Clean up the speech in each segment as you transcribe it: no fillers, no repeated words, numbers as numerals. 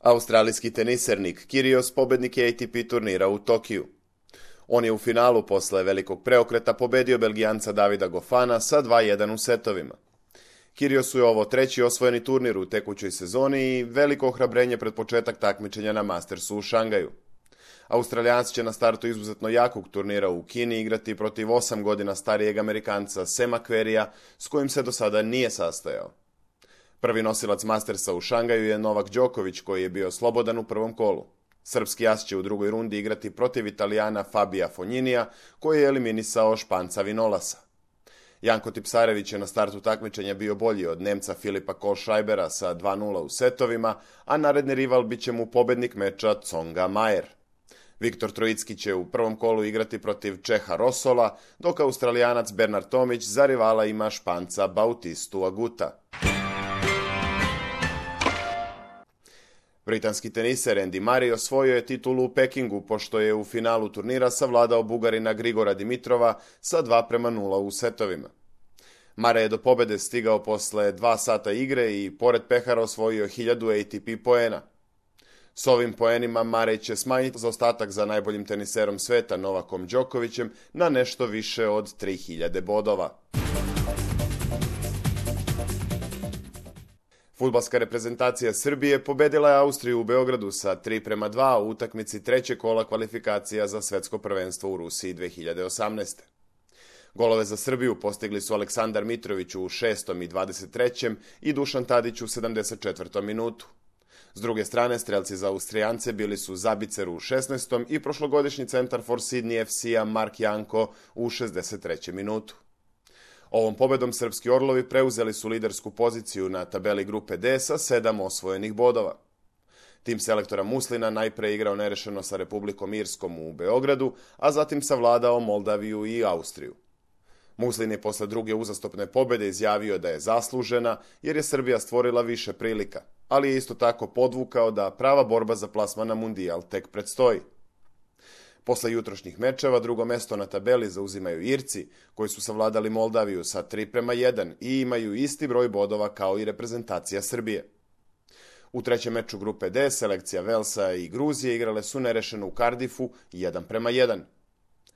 Australijski teniser Nick Kyrgios pobednik je ATP turnira u Tokiju. On je u finalu posle velikog preokreta pobedio Belgijanca Davida Goffina sa 2:1 u setovima. Kyrgiosu je ovo treći osvojeni turnir u tekućoj sezoni i veliko ohrabrenje pred početak takmičenja na Mastersu u Šangaju. Australijanac će na startu izuzetno jakog turnira u Kini igrati protiv 8 godina starijeg Amerikanca Sama Querreyja, s kojim se do sada nije sastajao. Prvi nosilac Mastersa u Šangaju je Novak Đoković, koji je bio slobodan u prvom kolu. Srpski as će u drugoj rundi igrati protiv Italijana Fabija Fogninija, koji je eliminisao Španca Vinolasa. Janko Tipsarević je na startu takmičenja bio bolji od Nemca Filipa Kohlschreibera sa 2:0 u setovima, a naredni rival bit će mu pobednik meča Tsonga Mayer. Viktor Trojicki će u prvom kolu igrati protiv Čeha Rosola, dok Australijanac Bernard Tomić za rivala ima Španca Bautistu Aguta. Britanski teniser Andy Murray osvojio je titulu u Pekingu, pošto je u finalu turnira savladao Bugarina Grigora Dimitrova sa 2:0 u setovima. Murray je do pobede stigao posle 2 sata igre i pored pehara osvojio 1000 ATP poena. S ovim poenima Murray će smanjiti zaostatak za najboljim teniserom sveta Novakom Đokovićem na nešto više od 3000 bodova. Fudbalska reprezentacija Srbije pobedila je Austriju u Beogradu sa 3:2 u utakmici trećeg kola kvalifikacija za svetsko prvenstvo u Rusiji 2018. Golove za Srbiju postigli su Aleksandar Mitrović u 6. i 23. i Dušan Tadić u 74. minutu. S druge strane, strelci za Austrijance bili su Zabicer u 16. i prošlogodišnji centar for Sydney FC-a Mark Janko u 63. minutu. Ovom pobedom srpski orlovi preuzeli su lidersku poziciju na tabeli grupe D sa 7 osvojenih bodova. Tim selektora Muslina najpre igrao nerešeno sa Republikom Irskom u Beogradu, a zatim savladao Moldaviju i Austriju. Muslin je posle druge uzastopne pobede izjavio da je zaslužena jer je Srbija stvorila više prilika, ali je isto tako podvukao da prava borba za plasman na Mundijal tek predstoji. Posle jutrošnjih mečeva drugo mesto na tabeli zauzimaju Irci, koji su savladali Moldaviju sa 3:1 i imaju isti broj bodova kao i reprezentacija Srbije. U trećem meču grupe D selekcija Velsa i Gruzije igrale su nerešeno u Cardiffu 1:1.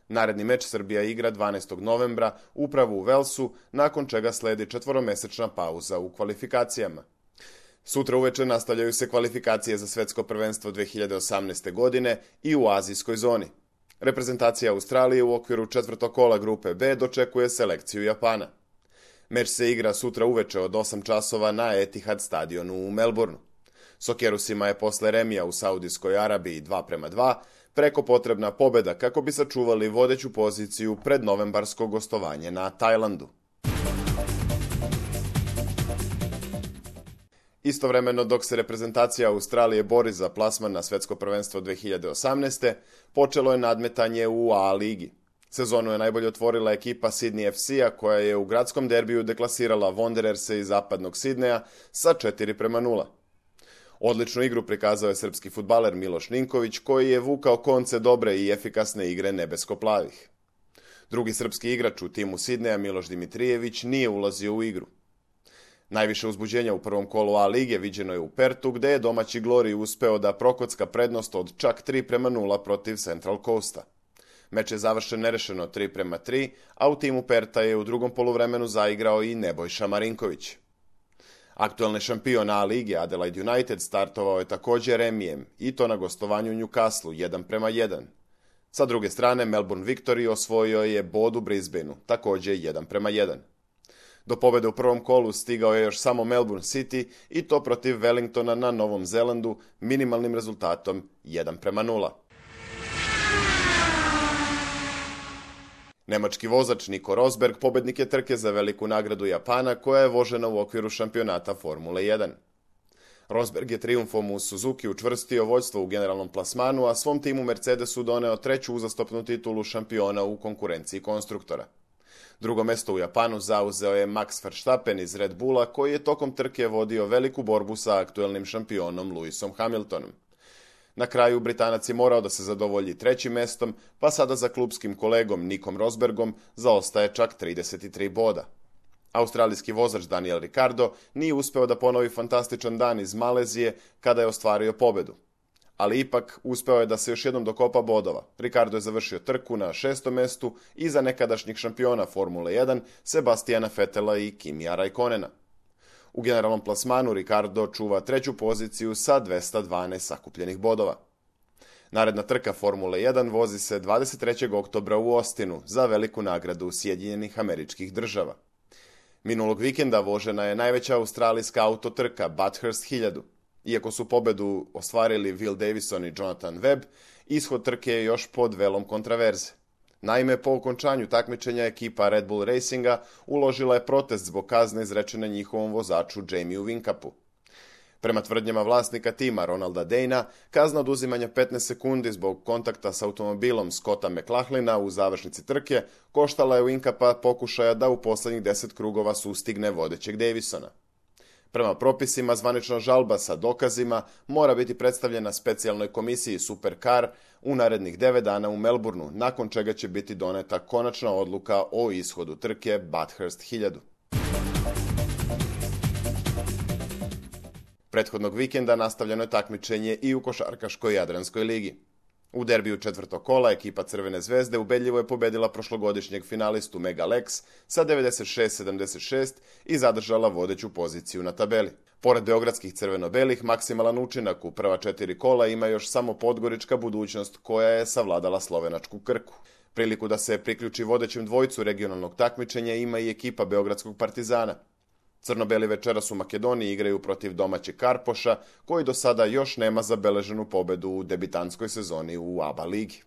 Naredni meč Srbija igra 12. novembra upravo u Velsu, nakon čega sledi 4-mesečna pauza u kvalifikacijama. Sutra uveče nastavljaju se kvalifikacije za svetsko prvenstvo 2018. godine i u azijskoj zoni. Reprezentacija Australije u okviru četvrtog kola grupe B dočekuje selekciju Japana. Meč se igra sutra uveče od 8 časova na Etihad stadionu u Melbourneu. Sokerusima je posle remija u Saudijskoj Arabiji 2:2 preko potrebna pobeda kako bi sačuvali vodeću poziciju pred novembarsko gostovanje na Tajlandu. Istovremeno, dok se reprezentacija Australije bori za plasman na svetsko prvenstvo 2018. počelo je nadmetanje u A ligi. Sezonu je najbolje otvorila ekipa Sydney FC-a koja je u gradskom derbiju deklasirala Wandererse iz zapadnog Sidneja sa 4:0. Odličnu igru prikazao je srpski fudbaler Miloš Ninković, koji je vukao konce dobre i efikasne igre nebesko-plavih. Drugi srpski igrač u timu Sidneja, Miloš Dimitrijević, nije ulazio u igru. Najviše uzbuđenja u prvom kolu A lige viđeno je u Pertu, gde je domaći Glory uspeo da prokocka prednost od čak 3:0 protiv Central Coasta. Meč je završen nerešeno 3:3, a u timu Perta je u drugom poluvremenu zaigrao i Nebojša Marinković. Aktuelni šampion A lige Adelaide United startovao je također remijem, i to na gostovanju u Newcastle 1:1. Sa druge strane, Melbourne Victory osvojio je bod u Brisbaneu, također 1:1. Do pobede u prvom kolu stigao je još samo Melbourne City i to protiv Wellingtona na Novom Zelandu minimalnim rezultatom 1:0. Nemački vozač Nico Rosberg pobednik je trke za veliku nagradu Japana koja je vožena u okviru šampionata Formule 1. Rosberg je trijumfom u Suzuki učvrstio vođstvo u generalnom plasmanu, a svom timu Mercedesu doneo treću uzastopnu titulu šampiona u konkurenciji konstruktora. Drugo mesto u Japanu zauzeo je Max Verstappen iz Red Bulla, koji je tokom trke vodio veliku borbu sa aktuelnim šampionom Lewisom Hamiltonom. Na kraju Britanac je morao da se zadovolji trećim mestom, pa sada za klupskim kolegom Nicom Rosbergom zaostaje čak 33 boda. Australijski vozač Daniel Ricciardo nije uspeo da ponovi fantastičan dan iz Malezije kada je ostvario pobedu. Ali ipak uspeo je da se još jednom dokopa bodova. Ricciardo je završio trku na 6. mestu iza nekadašnjih šampiona Formule 1 Sebastiana Vettela i Kimija Raikkonena. U generalnom plasmanu Ricciardo čuva 3. poziciju sa 212 sakupljenih bodova. Naredna trka Formule 1 vozi se 23. oktobra u Austinu za veliku nagradu Sjedinjenih Američkih Država. Minulog vikenda vožena je najveća australijska autotrka Bathurst 1000. Iako su pobedu ostvarili Will Davison i Jonathan Webb, ishod trke je još pod velom kontraverze. Naime, po okončanju takmičenja ekipa Red Bull Racinga uložila je protest zbog kazne izrečene njihovom vozaču Jamieu Whincupu. Prema tvrdnjama vlasnika tima Ronalda Dana, kazna oduzimanja 15 sekundi zbog kontakta s automobilom Scotta McLachlina u završnici trke koštala je Whincupa pokušaja da u poslednjih 10 krugova sustigne vodećeg Davisona. Prema propisima, zvanična žalba sa dokazima mora biti predstavljena specijalnoj komisiji Supercar u narednih 9 dana u Melbourneu, nakon čega će biti doneta konačna odluka o ishodu trke Bathurst 1000. Prethodnog vikenda nastavljeno je takmičenje i u košarkaškoj Jadranskoj ligi. U derbiju 4. kola ekipa Crvene zvezde ubedljivo je pobedila prošlogodišnjeg finalistu Mega Lex sa 96-76 i zadržala vodeću poziciju na tabeli. Pored beogradskih crveno-belih, maksimalan učinak u prva 4 kola ima još samo podgorička Budućnost koja je savladala slovenačku Krku. Priliku da se priključi vodećem dvojcu regionalnog takmičenja ima i ekipa beogradskog Partizana. Crno-beli večeras u Makedoniji igraju protiv domaćeg Karpoša, koji do sada još nema zabeleženu pobedu u debitanskoj sezoni u ABA ligi.